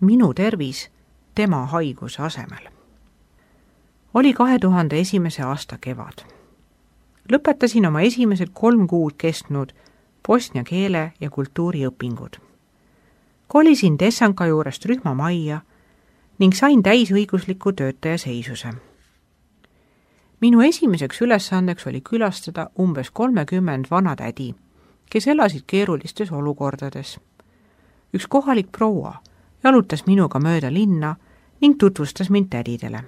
minu tervis tema haiguse asemel. Oli 2001. aasta kevad. Lõpetasin oma esimesed 3 kuud kestnud bosnia keele ja kultuuri õpingud. Kolisin Tessanka juurest rühmamajja ning sain täisõigusliku töötaja seisuse. Minu esimeseks ülesandeks oli külastada umbes 30 vanatädi, kes elasid keerulistes olukordades. Üks kohalik proua jalutas minuga mööda linna ning tutvustas mind tädidele.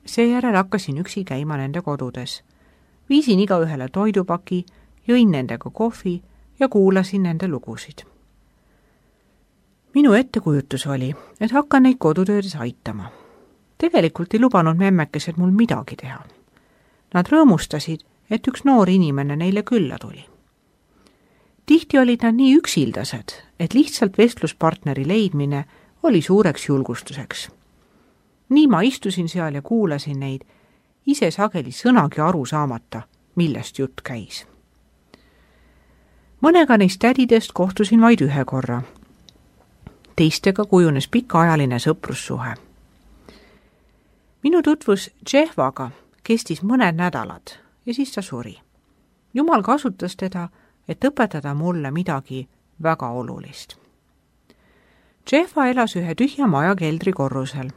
Seejärel hakkasin üksi käima nende kodudes. Viisin igaühele toidupaki, jõin nendega kohvi ja kuulasin nende lugusid. Minu ettekujutus oli, et hakkan neid kodutöödes aitama. Tegelikult ei lubanud memmekesed mul midagi teha. Nad rõõmustasid, et üks noor inimene neile külla tuli. Tihti olid nad nii üksildased, et lihtsalt vestluspartneri leidmine oli suureks julgustuseks. Nii ma istusin seal ja kuulasin neid, ise sageli sõnagi aru saamata, millest jutt käis. Mõnega neist tädidest kohtusin vaid 1 korra. Teistega kujunes pikaajaline sõprussuhe. Minu tutvus Džehvaga kestis mõned nädalad ja siis ta suri. Jumal kasutas teda, et õpetada mulle midagi väga olulist. Džehva elas ühe tühja maja keldrikorrusel.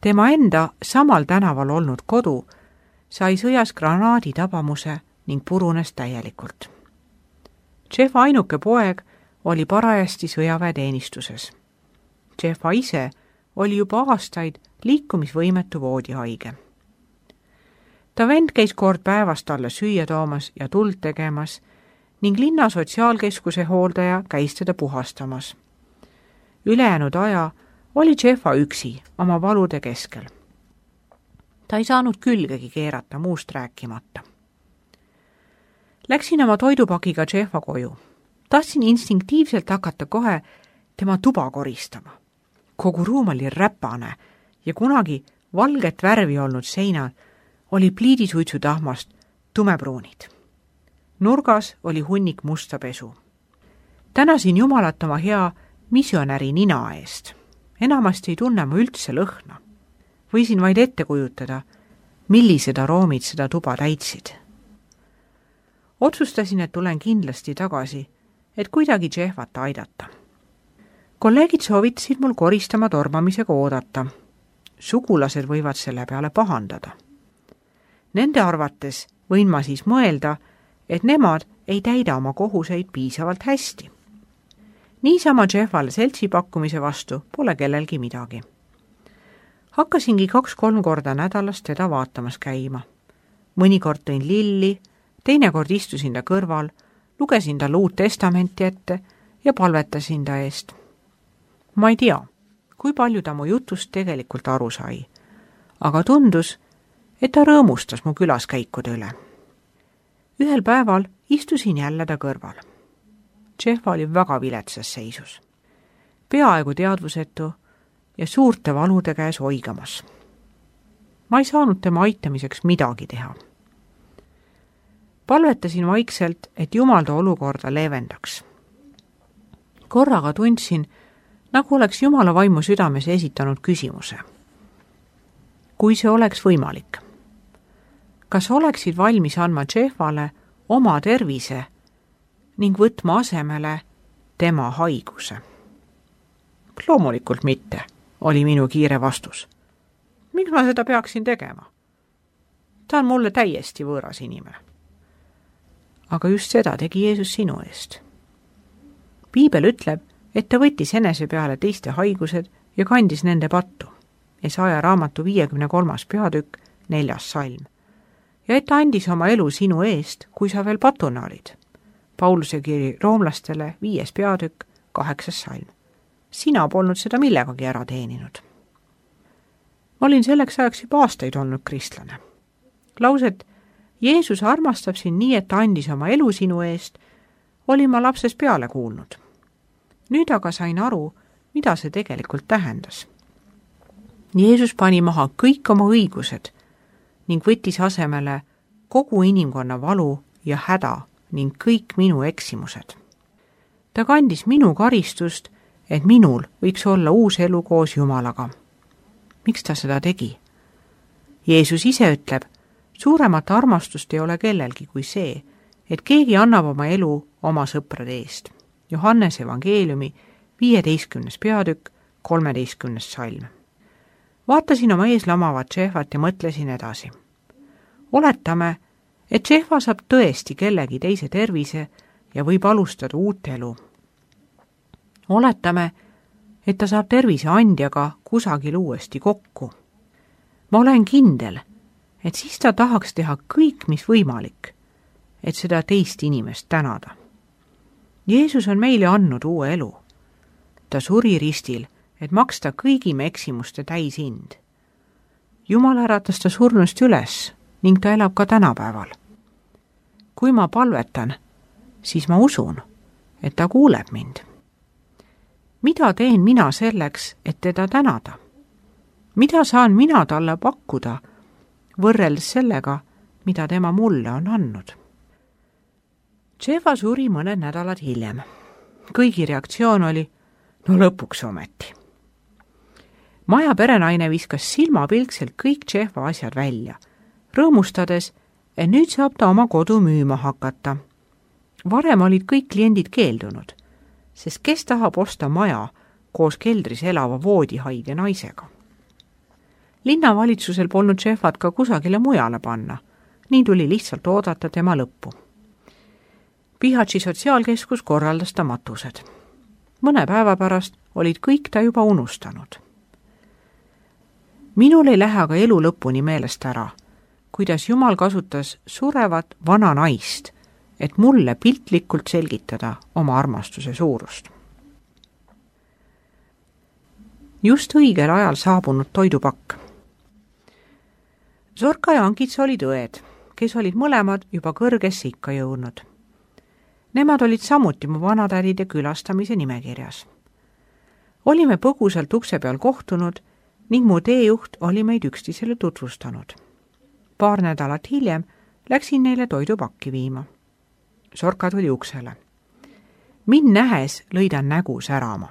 Tema enda samal tänaval olnud kodu sai sõjas granaadi tabamuse ning purunes täielikult. Džehva ainuke poeg oli parajasti sõjaväeteenistuses. Džehva ise oli juba aastaid liikumisvõimetu voodihaige. Ta vend käis kord päevas talle süüa toomas ja tuld tegemas ning linna sotsiaalkeskuse hooldaja käis teda puhastamas. Ülejäänud aja oli Džehva üksi oma valude keskel. Ta ei saanud külgegi keerata, muust rääkimata. Läksin oma toidupakiga Džehva koju. Tahtsin instinktiivselt hakata kohe tema tuba koristama. Kogu ruum oli räpane ja kunagi valget värvi olnud seinad oli pliidisuitsutahmast tumepruunid. Nurgas oli hunnik musta pesu. Tänasin Jumalat oma hea missionäri nina eest. Enamasti ei tunne ma üldse lõhna. Võisin vaid ette kujutada, millised aroomid seda tuba täitsid. Otsustasin, et tulen kindlasti tagasi, et kuidagi Džehvat aidata. Kolleegid soovitasid mul koristama tormamisega oodata. Sugulased võivad selle peale pahandada. Nende arvates võin ma siis mõelda, et nemad ei täida oma kohuseid piisavalt hästi. Niisama Džehvale seltsi pakkumise vastu pole kellelgi midagi. Hakkasingi 2-3 korda nädalas teda vaatamas käima. Mõnikord tõin lilli, teinekord istusin ta kõrval, lugesin talle Uut Testamenti ette ja palvetasin ta eest. Ma ei tea, kui palju ta mu jutust tegelikult aru sai, aga tundus, et ta rõõmustas mu külaskäikude üle. Ühel päeval istusin jälle ta kõrval. Džehva oli väga viletsas seisus. Peaaegu teadvusetu ja suurte valude käes oigamas. Ma ei saanud tema aitamiseks midagi teha. Palvetasin vaikselt, et Jumal ta olukorda leevendaks. Korraga tundsin, nagu oleks Jumala vaimu südames esitanud küsimuse. Kui see oleks võimalik, kas oleksid valmis andma Džehvale oma tervise ning võtma asemele tema haiguse? Loomulikult mitte, oli minu kiire vastus. Miks ma seda peaksin tegema? Ta on mulle täiesti võõras inimene. Aga just seda tegi Jeesus sinu eest. Piibel ütleb, et ta võttis enese peale teiste haigused ja kandis nende pattu. Jesaja raamatu 53. peatükk, 4. salm. Ja et ta andis oma elu sinu eest, kui sa veel patuna olid. Pauluse kiri roomlastele 5. peatükk, 8. salm. Sina polnud seda millegagi ära teeninud. Ma olin selleks ajaks juba aastaid olnud kristlane. Lauset, Jeesus armastab sind nii, et ta andis oma elu sinu eest, olin ma lapsest peale kuulnud. Nüüd aga sain aru, mida see tegelikult tähendas. Jeesus pani maha kõik oma õigused ning võttis asemele kogu inimkonna valu ja häda ning kõik minu eksimused. Ta kandis minu karistust, et minul võiks olla uus elu koos Jumalaga. Miks ta seda tegi? Jeesus ise ütleb, suuremat armastust ei ole kellelgi kui see, et keegi annab oma elu oma sõprade eest. Johannese evangeeliumi 15. peatükk, 13. salm. Vaatasin oma ees lamavat Džehvat ja mõtlesin edasi. Oletame, et Džehva saab tõesti kellegi teise tervise ja võib alustada uut elu. Oletame, et ta saab tervise andjaga kusagil uuesti kokku. Ma olen kindel, et siis ta tahaks teha kõik, mis võimalik, et seda teist inimest tänada. Jeesus on meile andnud uue elu. Ta suri ristil, et maksta kõigi me eksimuste täishind. Jumal äratas ta surnust üles ning ta elab ka tänapäeval. Kui ma palvetan, siis ma usun, et ta kuuleb mind. Mida teen mina selleks, et teda tänada? Mida saan mina talle pakkuda, võrreldes sellega, mida tema mulle on andnud? Džehva suri mõned nädalad hiljem. Kõigi reaktsioon oli, no lõpuks ometi. Maja perenaine viskas silmapilkselt kõik Džehva asjad välja, rõõmustades, et nüüd saab ta oma kodu müüma hakata. Varem olid kõik kliendid keeldunud, sest kes tahab osta maja koos keldris elava voodihaige naisega. Linnavalitsusel polnud Džehvat ka kusagile mujale panna, nii tuli lihtsalt oodata tema lõppu. Bihatši sotsiaalkeskus korraldas ta matused. Mõne päeva pärast olid kõik ta juba unustanud. Minul ei lähe aga elu lõpuni meelest ära, kuidas Jumal kasutas surevat vana naist, et mulle piltlikult selgitada oma armastuse suurust. Just õigel ajal saabunud toidupakk. Zorka ja Ankitsa olid õed, kes olid mõlemad juba kõrgesse ikka jõudnud. Nemad olid samuti mu vanatädide külastamise nimekirjas. Olime põgusalt ukse peal kohtunud ning mu teejuht oli meid üksteisele tutvustanud. Paar nädalat hiljem läksin neile toidupakki viima. Zorka tuli uksele. Mind nähes lõi ta nägu särama.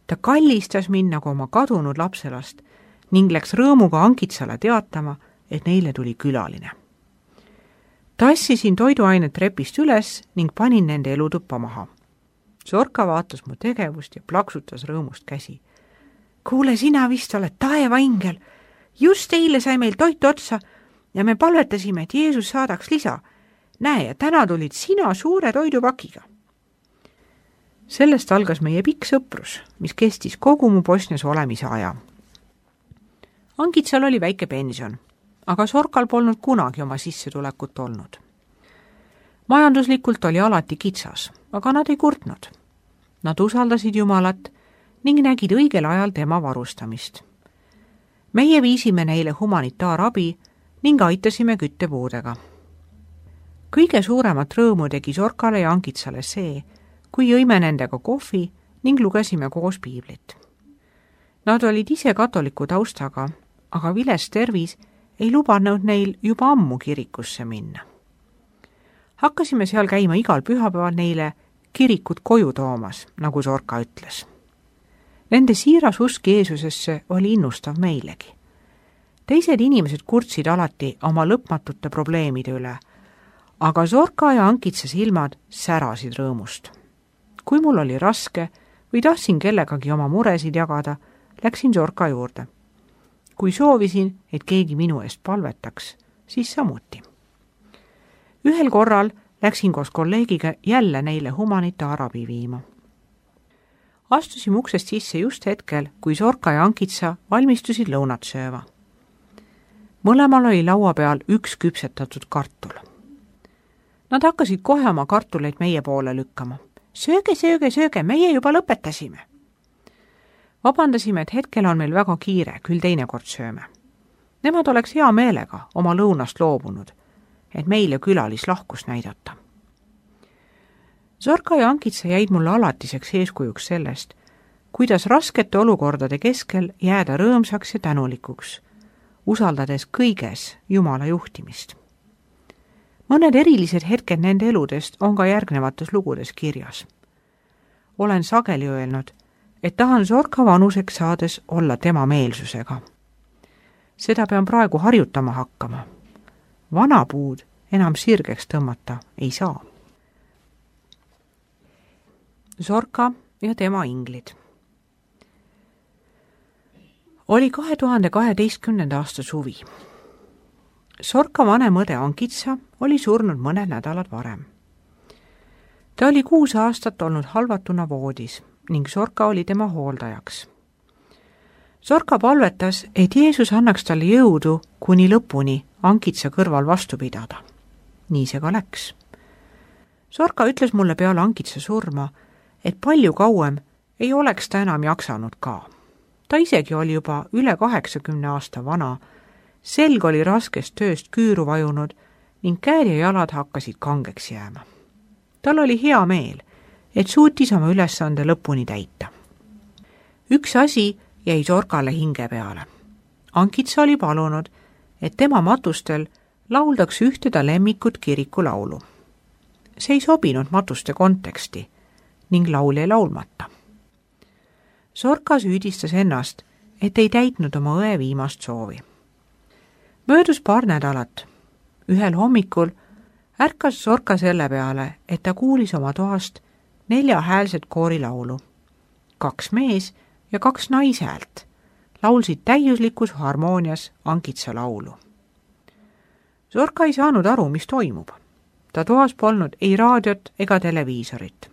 Ta kallistas mind nagu oma kadunud lapselast ning läks rõõmuga Ankitsale teatama, et neile tuli külaline. Tassisin toiduainet trepist üles ning panin nende elutuppa maha. Zorka vaatas mu tegevust ja plaksutas rõõmust käsi. Kuule, sina vist oled taevaingel. Just eile sai meil toit otsa ja me palvetasime, et Jeesus saadaks lisa. Näe, ja täna tulid sina suure toidupakiga. Sellest algas meie pikk sõprus, mis kestis kogu mu Bosnias olemise aja. Ankitsal oli väike pension, aga Zorkal polnud kunagi oma sissetulekut olnud. Majanduslikult oli alati kitsas, aga nad ei kurtnud. Nad usaldasid Jumalat ning nägid õigel ajal tema varustamist. Meie viisime neile humanitaarabi ning aitasime küttepuudega. Kõige suuremat rõõmu tegi Zorkale ja Ankitsale see, kui jõime nendega kohvi ning lugesime koos piiblit. Nad olid ise katoliku taustaga, aga viles tervis ei lubanud neil juba ammu kirikusse minna. Hakkasime seal käima igal pühapäeval neile kirikut koju toomas, nagu Zorka ütles. Nende siiras usk Jeesusesse oli innustav meilegi. Teised inimesed kurtsid alati oma lõpmatute probleemide üle, aga Zorka ja Ankitsa silmad särasid rõõmust. Kui mul oli raske või tahtsin kellegagi oma muresid jagada, läksin Zorka juurde. Kui soovisin, et keegi minu eest palvetaks, siis samuti. Ühel korral läksin koos kolleegiga jälle neile humanitaarabi viima. Astusime uksest sisse just hetkel, kui Zorka ja Ankitsa valmistusid lõunat sööva. Mõlemal oli laua peal üks küpsetatud kartul. Nad hakkasid kohe oma kartuleid meie poole lükkama. Sööge, sööge, sööge, meie juba lõpetasime. Vabandasime, et hetkel on meil väga kiire, küll teinekord sööme. Nemad oleks hea meelega oma lõunast loobunud, et meile külalislahkus näidata. Zorka ja Ankitsa jäid mulle alatiseks eeskujuks sellest, kuidas raskete olukordade keskel jääda rõõmsaks ja tänulikuks, usaldades kõiges Jumala juhtimist. Mõned erilised hetked nende eludest on ka järgnevates lugudes kirjas. Olen sageli öelnud, et tahan Zorka vanuseks saades olla tema meelsusega. Seda pean praegu harjutama hakkama. Vana puud enam sirgeks tõmmata ei saa. Zorka ja tema inglid. Oli 2012. aasta suvi. Zorka vanem õde Ankitsa oli surnud mõned nädalad varem. Ta oli 6 aastat olnud halvatuna voodis ning Zorka oli tema hooldajaks. Zorka palvetas, et Jeesus annaks talle jõudu kuni lõpuni Ankitsa kõrval vastu pidada. Nii see ka läks. Zorka ütles mulle peale Ankitsa surma, et palju kauem ei oleks ta enam jaksanud ka. Ta isegi oli juba üle 80 aasta vana, selg oli raskest tööst küüru vajunud ning käed ja jalad hakkasid kangeks jääma. Tal oli hea meel, et suutis oma ülesande lõpuni täita. Üks asi jäi Zorkale hinge peale. Ankitsa oli palunud, et tema matustel lauldaks ühte ta lemmikut kirikulaulu. See ei sobinud matuste konteksti ning laul jäi laulmata. Zorka süüdistas ennast, et ei täitnud oma õe viimast soovi. Möödus paar nädalat. Ühel hommikul ärkas Zorka selle peale, et ta kuulis oma toast 4 häälset koorilaulu. 2 mees- ja 2 naishäält laulsid täiuslikus harmoonias Ankitsa laulu. Zorka ei saanud aru, mis toimub. Ta toas polnud ei raadiot ega televiisorit.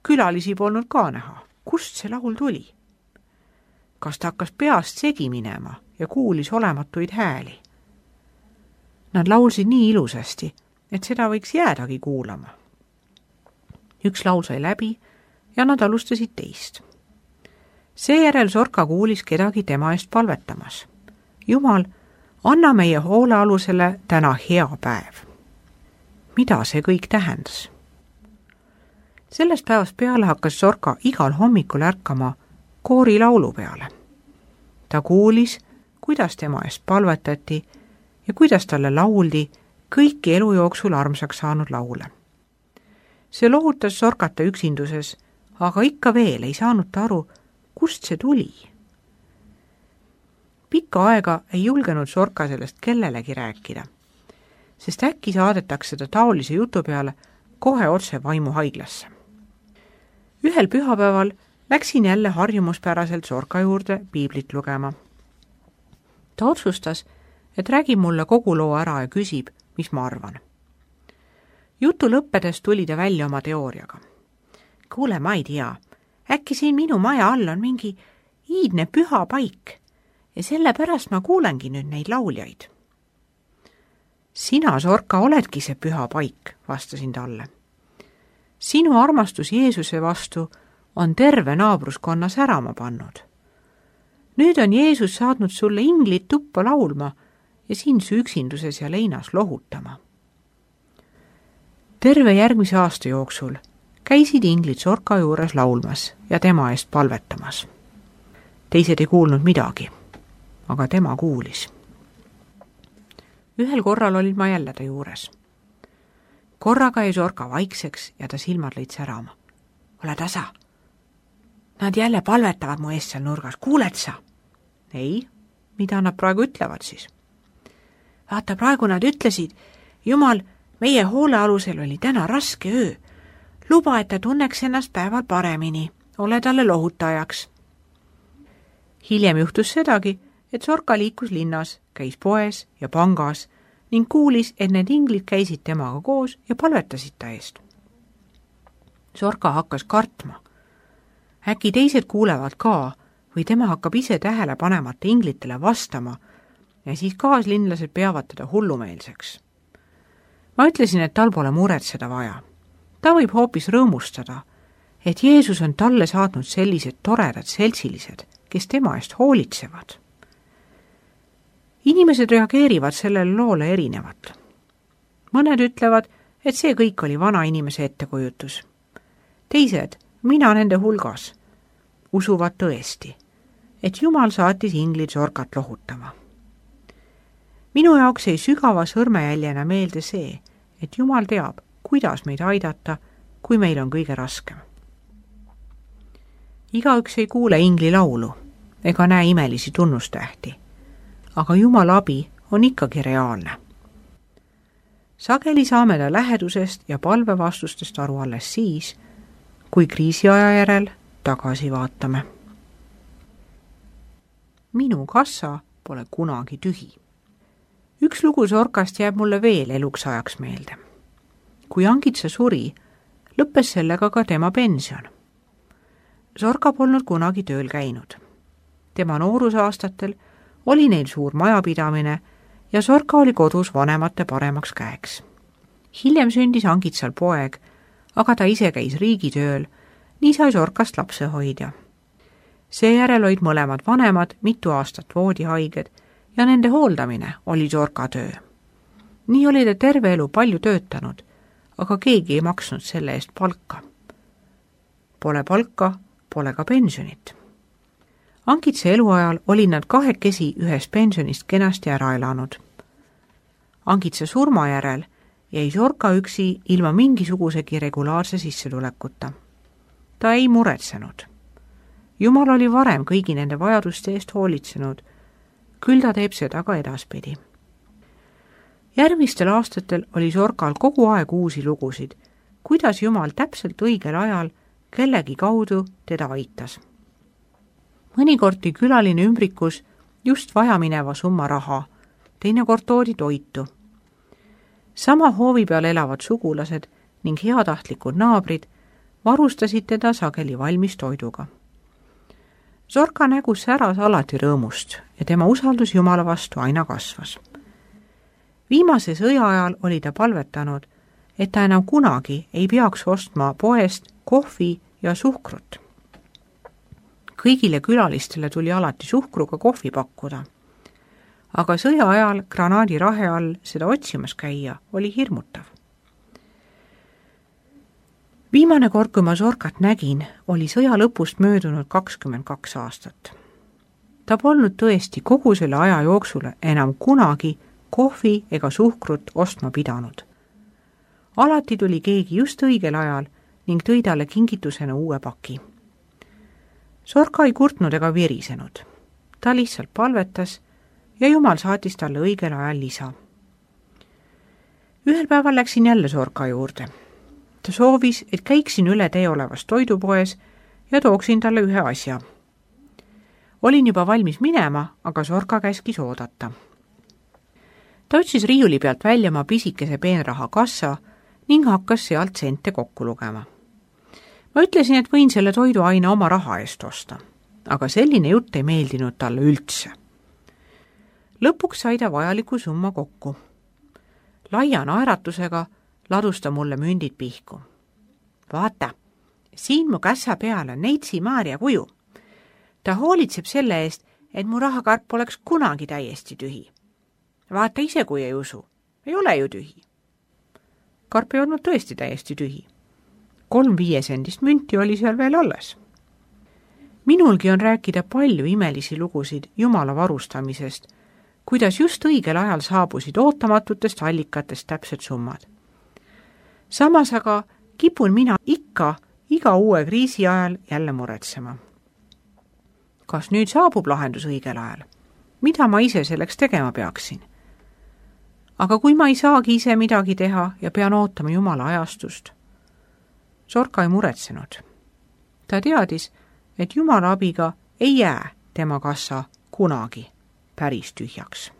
Külalisi polnud ka näha. Kust see laul tuli? Kas ta hakkas peast segi minema ja kuulis olematuid hääli? Nad laulsid nii ilusasti, et seda võiks jäädagi kuulama. Üks laul sai läbi ja nad alustasid teist. Seejärel Zorka kuulis kedagi tema eest palvetamas. Jumal, anna meie hoolealusele täna hea päev. Mida see kõik tähendas? Sellest päevast peale hakkas Zorka igal hommikul ärkama koorilaulu peale. Ta kuulis, kuidas tema eest palvetati ja kuidas talle lauldi kõiki elu jooksul armsaks saanud laule. See lohutas Zorkata üksinduses, aga ikka veel ei saanud ta aru, kust see tuli. Pikka aega ei julgenud Zorka sellest kellelegi rääkida, sest äkki saadetakse ta taolise jutu peale kohe otse vaimuhaiglasse. Ühel pühapäeval läksin jälle harjumuspäraselt Zorka juurde piiblit lugema. Ta otsustas, et räägib mulle kogu loo ära ja küsib, mis ma arvan. Jutu lõppedes tuli ta välja oma teooriaga. Kuule, ma ei tea, äkki siin minu maja all on mingi iidne püha paik ja sellepärast ma kuulengi nüüd neid lauljaid. Sina, Zorka, oledki see püha paik, vastasin talle. Sinu armastus Jeesuse vastu on terve naabruskonna särama pannud. Nüüd on Jeesus saatnud sulle inglid tuppa laulma ja sind su üksinduses ja leinas lohutama. Terve järgmise aasta jooksul käisid inglid Zorka juures laulmas ja tema eest palvetamas. Teised ei kuulnud midagi, aga tema kuulis. Ühel korral olin ma jälle ta juures. Korraga jäi Zorka vaikseks ja ta silmad lõid särama. Ole tasa. Nad jälle palvetavad mu eest seal nurgas. Kuuled sa? Ei, mida nad praegu ütlevad siis? Vaata, praegu nad ütlesid, Jumal, meie hoolealusel oli täna raske öö. Luba, et ta tunneks ennast päeval paremini. Ole talle lohutajaks. Hiljem juhtus sedagi, et Zorka liikus linnas, käis poes ja pangas ning kuulis, et need inglid käisid temaga koos ja palvetasid ta eest. Zorka hakkas kartma. Äkki teised kuulevad ka või tema hakkab ise tähele panemata inglitele vastama ja siis kaaslinlased peavad teda hullumeelseks. Ma ütlesin, et tal pole muretseda vaja. Ta võib hoopis rõõmustada, et Jeesus on talle saatnud sellised toredad seltsilised, kes tema eest hoolitsevad. Inimesed reageerivad sellele loole erinevalt. Mõned ütlevad, et see kõik oli vana inimese ettekujutus. Teised, mina nende hulgas, usuvad tõesti, et Jumal saatis inglid Zorkat lohutama. Minu jaoks jäi sügava sõrmejäljena meelde see, et Jumal teab, kuidas meid aidata, kui meil on kõige raskem. igaüks ei kuule ingli laulu ega näe imelisi tunnustähti, aga Jumala abi on ikkagi reaalne. Sageli saame ta lähedusest ja palvevastustest aru alles siis, kui kriisiaja järel tagasi vaatame. Minu kassa pole kunagi tühi. Üks lugu Zorkast jääb mulle veel eluks ajaks meelde. Kui Angitsa suri, lõppes sellega ka tema pension. Zorka polnud kunagi tööl käinud. Tema noorusaastatel oli neil suur majapidamine ja Zorka oli kodus vanemate paremaks käeks. Hiljem sündis Angitsal poeg, aga ta ise käis riigitööl, nii sai Zorkast lapsehoidja. Seejärel olid mõlemad vanemad mitu aastat voodihaiged ja nende hooldamine oli Zorka töö. Nii oli ta terve elu palju töötanud, aga keegi ei maksnud selle eest palka. Pole palka, pole ka pensionit. Angitsa eluajal olid nad kahekesi ühest pensionist kenasti ära elanud. Angitsa surma järel jäi Zorka üksi ilma mingisugusegi regulaarse sissetulekuta. Ta ei muretsenud. Jumal oli varem kõigi nende vajaduste eest hoolitsenud, küll ta teeb seda ka edaspidi. Järgmistel aastatel oli Zorkal kogu aeg uusi lugusid, kuidas Jumal täpselt õigel ajal kellegi kaudu teda aitas. Mõnikord tõi külaline ümbrikus just vajamineva summa raha, teinekord toodi toitu. Sama hoovi peal elavad sugulased ning heatahtlikud naabrid varustasid teda sageli valmis toiduga. Zorka nägu säras alati rõõmust ja tema usaldus Jumala vastu aina kasvas. Viimase sõja ajal oli ta palvetanud, et ta enam kunagi ei peaks ostma poest kohvi ja suhkrut. Kõigile külalistele tuli alati suhkruga kohvi pakkuda, aga sõja ajal granaadirahe all seda otsimas käia oli hirmutav. Viimane kord, kui ma Zorkat nägin, oli sõja lõpust möödunud 22 aastat. Ta polnud tõesti kogu selle aja jooksul enam kunagi kohvi ega suhkrut ostma pidanud. Alati tuli keegi just õigel ajal ning tõi talle kingitusena uue paki. Zorka ei kurtnud ega virisenud. Ta lihtsalt palvetas ja Jumal saatis talle õigel ajal lisa. Ühel päeval läksin jälle Zorka juurde. Ta soovis, et käiksin üle tee olevas toidupoes ja tooksin talle ühe asja. Olin juba valmis minema, aga Zorka käskis oodata. Ta otsis riiuli pealt välja oma pisikese peenraha kassa ning hakkas sealt sente kokku lugema. Ma ütlesin, et võin selle toiduaine oma raha eest osta, aga selline jutt ei meeldinud talle üldse. Lõpuks sai ta vajaliku summa kokku. Laia naeratusega ladus ta mulle mündid pihku. Vaata, siin mu kässa peal on Neitsi Maarja kuju. Ta hoolitseb selle eest, et mu rahakarp oleks kunagi täiesti tühi. Vaata ise, kui ei usu. Ei ole ju tühi. Karp ei olnud tõesti täiesti tühi. 3 5-sendist münti oli seal veel alles. Minulgi on rääkida palju imelisi lugusid Jumala varustamisest, kuidas just õigel ajal saabusid ootamatutest allikatest täpsed summad. Samas aga kipun mina iga uue kriisi ajal jälle muretsema. Kas nüüd saabub lahendus õigel ajal? Mida ma ise selleks tegema peaksin? Aga kui ma ei saagi ise midagi teha ja pean ootama Jumala ajastust, Zorka ei muretsenud. Ta teadis, et Jumala abiga ei jää tema kassa kunagi päris tühjaks.